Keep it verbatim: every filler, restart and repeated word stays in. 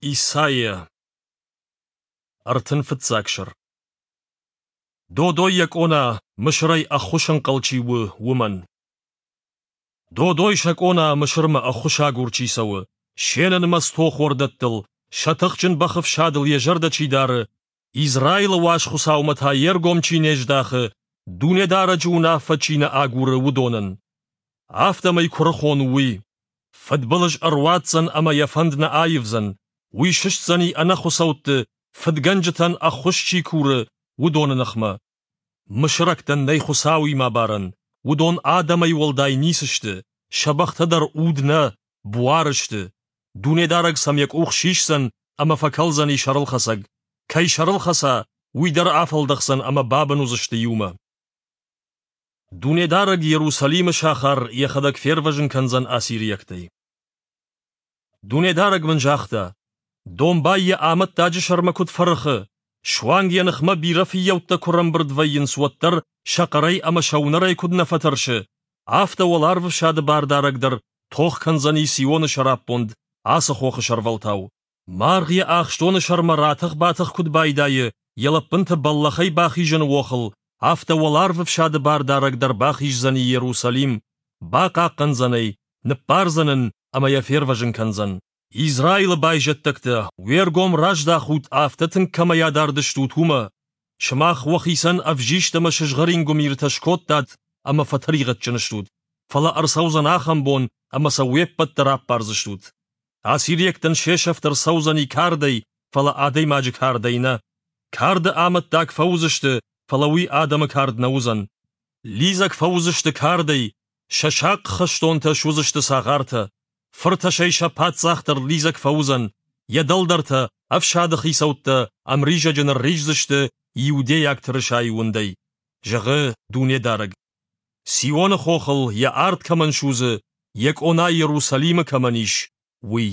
Исайя. Ӕртын фыццаг сӕр. Додой йӕ къона, Мысырӕй ӕххуысӕнхъӕл чи у, уымӕн. Додой сӕ къона, Мысырмӕ ӕххуысагур чи цӕуы, се нӕнымӕц тохуӕрдӕттыл, сӕ тыхджын бӕхы фсадыл йӕ зӕрдӕ чи дары, Израилы уаз Хуыцаумӕ та йе ргом чи не здахы, Дунедарӕджы уынаффӕ чи нӕ агуры, уыдонӕн. Афтӕмӕй куырыхон у уый. Фыдбылыз ӕруадздзӕн ӕмӕ йӕ фӕнд нӕ аивдзӕн. Уый сыстдзӕни ӕнӕхуыцӕутты, фыдгӕнджытӕн ӕххуыс чи куры, уыдоны ныхмӕ. Мысырӕгтӕн нӕй Хуыцауимӕ барӕн, уыдон адӕмӕй уӕлдай ницы сты, сӕ бӕхтӕ дӕр уд нӕ, буар сты. Дунедарӕг сӕм йӕ къух сисдзӕн ӕмӕ фӕкӕлдзӕни сӕрылхӕцӕг. Кӕй сӕрыл хӕца, уый дӕр афӕлдӕхдзӕн ӕмӕ бабын уыдзысты иумӕ. Дунедарӕг Иерусалимы сахар йӕхӕдӕг фервӕзын кӕндзӕн ассириӕгтӕй. Дунедарӕг мын загъта: Домбай йӕ амӕттаджы сӕрмӕ куыд фӕрыхы, суанг йӕ ныхмӕ бирӕ фыййӕуттӕ куы рӕмбырд вӕййынц, уӕддӕр сӕ хъӕрӕй ӕмӕ сӕ уынӕрӕй куыд нӕ фӕтӕрсы, афтӕ уӕларвы бардарӕг дӕр тох кӕндзӕни Сионы сӕраппонд ацы хохы сӕрвӕлтау. Маргъ йӕ ахстоны сӕрмӕ ратӕх-батӕх куыд байдайы, йӕ лӕппынты бӕллӕхӕй бахизыны охыл, афтӕ уӕларвы фсады бардарӕг дӕр бахиздзӕни Иерусалим, бахъахъхъӕндзӕн ӕй, ныппардзӕн ын ӕмӕ йӕ фервӕзын кӕндзӕн. Израилы байзӕддӕгтӕ, уе ргом раздахут, афтӕ тынг кӕмӕй адард стут, уымӕ. Сымах уӕхицӕн ӕвзист ӕмӕ сызгъӕрин гуымиртӕ скодтат ӕмӕ фӕтӕригъӕдджын стут. Фӕлӕ ӕрцӕудзӕн ахӕм бон, ӕмӕ сӕ уе ппӕт дӕр аппардзыстут. Ассириӕгтӕн се сӕфт ӕрцӕудзӕни кардӕй, фӕлӕ адӕймаджы кардӕй нӕ. Карды амӕттаг фӕуыдзысты, фӕлӕ уый адӕмы кард нӕ уыдзӕн. Лидзӕг фӕуыдзысты кардӕй, сӕ сахъ хӕстонтӕ суыдзысты цагъартӕ. Фыртӕсӕй сӕ паддзах дӕр лидзӕг фӕуыдзӕн, йӕ дӕлдӕртӕ, ӕфсады хицӕуттӕ ӕмризӕджы нырриздзысты иудейаг тырысайы уындӕй, зӕгъы Дунедарӕг. Сионы хохыл йӕ арт кӕмӕн судзы, йӕ къона Иерусалимы кӕмӕн ис, уый.